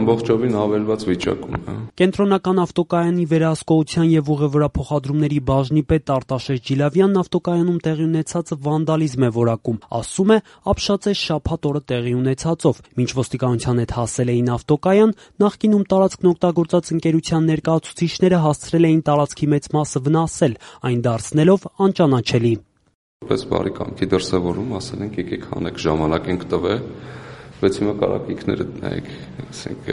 ամբողջովին ավերված վիճակում է։ Կենտրոնական ավտոկայանի վերահսկողության եւ ուղևորափոխադրումների բաժնի պետ Արտաշես Ջիլավյանն ավտոկայանում տեղի ունեցածը վանդալիզմ է որակում, ասում է, ապշած է շաբաթ օրը տեղի ունեցածով։ Մինչ ոստիկանության հետ հասել էին ավտոկայան, նախկինում տարածքն օգտագործած ընկերության ներկայացուցիչները հասցրել էին տարածքի մեծ մասը վնասել, այն դարձնելով անճանաչելի։ Որպես բարի կամքի դրսևորում ասել ենք եկեք հանեք, ժամանակ ենք տվել, բայց հիմա կարաք ինքներդ նայեք, ասենք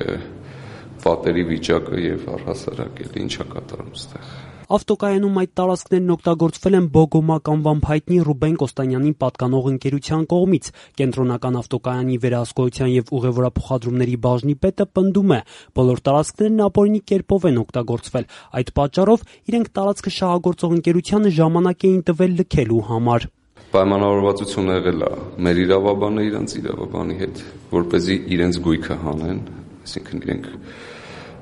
պատերի վիճակը եւ առհասարակ էլ ինչա կատարում ստեղ։ Ավտոկայանում այդ տարածքներն օգտագործվել են Բոգոմակ անվամբ հայտնի Ռուբեն Կոստանյանին պատկանող ընկերության կողմից։ Կենտրոնական ավտոկայանի վերահսկողության եւ ուղևորափոխադրումների բաժնի պետը պնդում է, բոլոր տարածքներն ապօրինի կերպով են օգտագործվել։ Այդ պատճառով իրենք տարածքը շահագործող ընկերությանը ժամանակ էին տվել լքելու համար։ Պայմանավորվածություն եղել է մեր իրավաբանը իրենց իրավաբանի հետ, որպեսզի իրենց գույքը հանեն, այսինքն իրենք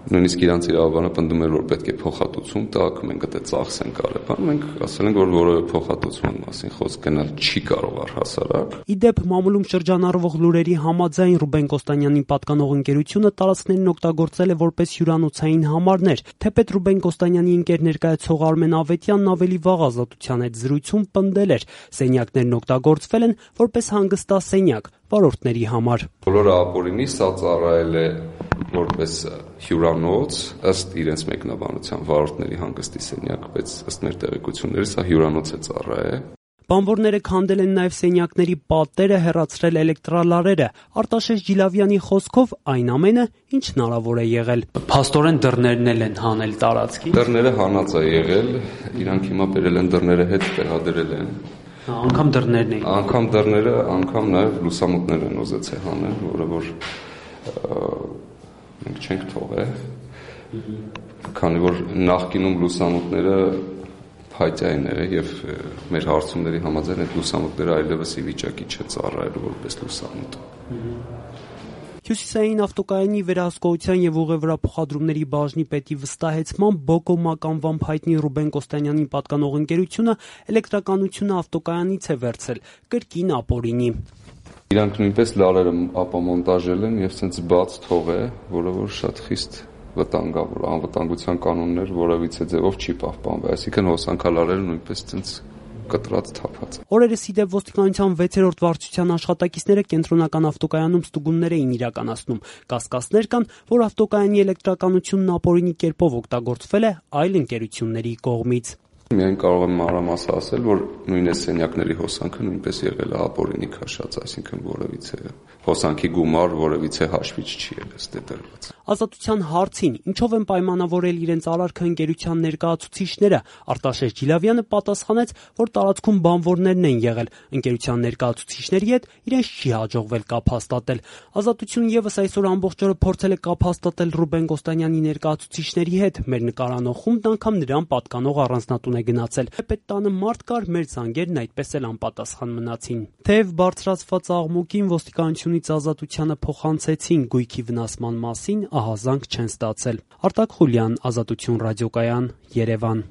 նույնիսկ իրանց իրավաբանը պնդում էր, որ պետք է փոխհատուցում տակ, մենք դա ծախսենք արել, մենք ասել ենք, որ որևէ փոխհատուցման մասին խոսք գնալ չի կարող առհասարակ։ Իդեպ մամուլում շրջանառվող լուրերի համաձայն Ռուբեն Կոստանյանին պատկանող ընկերությունը տարածքներն օգտագործել է որպես հյուրանոցային համարներ, թեպետ Ռուբեն Կոստանյանի ընկեր ներկայացող Արմեն Ավետյանն ավելի վաղ Ազատության հետ զրույցում պնդել էր, սենյակներն օգտագործվել են որպես հանգստասենյակ վարորդների համար։ Բոլորը ապօրինի, սա ծառայել է որպես հյուրանոց, ըստ իրենց մեկնաբանության վարորդների հանգստի սենյակ, բայց ըստ մեր տեղեկությունների սա հյուրանոց է ծառայել։ Բանվորները քանդել են նաև սենյակների պատերը, հեռացրել էլեկտրալարերը։ Արտաշես Ջիլավյանի խոսքով այն ամենը, ինչ հնարավոր է եղել։ Փաստորեն դռներն էլ են հանել տարածքի։ Դռները հանած է եղել, իրանք հիմա բերել են դռները հետ տեղադրել են։ Անգամ դռներն էին։ Անգամ դռները, անգամ նաև լուսամուտներ են ուզեցել հանել, որը որ մենք չենք թողել, քանի որ նախկինում լուսամուտները փայտյային է եւ մեր հարցումների համաձայն այդ լուսամուտները այլևս ի վիճակի չէ ծառայելու որպես լուսամուտ։ Հյուսիսային ավտոկայանի վերահսկողության եւ ուղևորափոխադրումների բաժնի պետի վստահեցմամբ Բոգոմակ անվամբ հայտնի Ռուբեն Կոստանյանին պատկանող ընկերությունը էլեկտրականությունը ավտոկայանից է վերցրել, կրկին ապօրինի։ Իրանք նույնպես լարերը ապամոնտաժել են եւ ցենց բաց թողել, որը որ շատ խիստ վտանգավոր, անվտանգության կանոններ որևիցե ձևով չի պահպանվել, այսինքն հոսանքալարերը նույնպես ցենց կտրած թափած։ Օրերս իդեպ ոստիկանության 6-րդ վարչության աշխատակիցները կենտրոնական ավտոկայանում ստուգումներ էին իրականացնում։ Կասկածներ կան, որ ավտոկայանի էլեկտրականությունն ապօրինի կերպով օգտագործվել է այլ ընկերությունների կողմից։ Միայն կարող եմ մանրամասը ասել, որ նույն սենյակների հոսանքը նույնպես եղել է ապօրինի քաշած, այսինքն որևիցե հոսանքի գումար որևիցե հաշվիչ չի եղել ըստ դրված։ Ազատության հարցին, ինչով են պայմանավորել իրենց արարքը ընկերության ներկայացուցիչները, Արտաշես Ջիլավյանը պատասխանեց, որ տարածքում բանվորներն են եղել, ընկերության ներկայացուցիչների հետ իրենց չի հաջողվել կապ հաստատել։ Ազատություն եւս այսօր ամբողջ օրը փորձել է կապ հաստատել Ռուբեն Կոստանյանի ներկայացուցիչների հետ, մեր նկարանող խումբն անգամ նրան պատկանող առանձնատուն է գնացել։ Թեպետ տանը մարդ կար, մեր զանգերն այդպես էլ անպատասխան մնացին։ Թեև բարձրացված աղմուկին ոստիկանությունից Ազատությանը փոխանցեցին գույքի վնասման մասին, ահազանգ չեն ստացել։ Արտակ Խուլյան, Ազատություն ռադիոկայան, Երևան։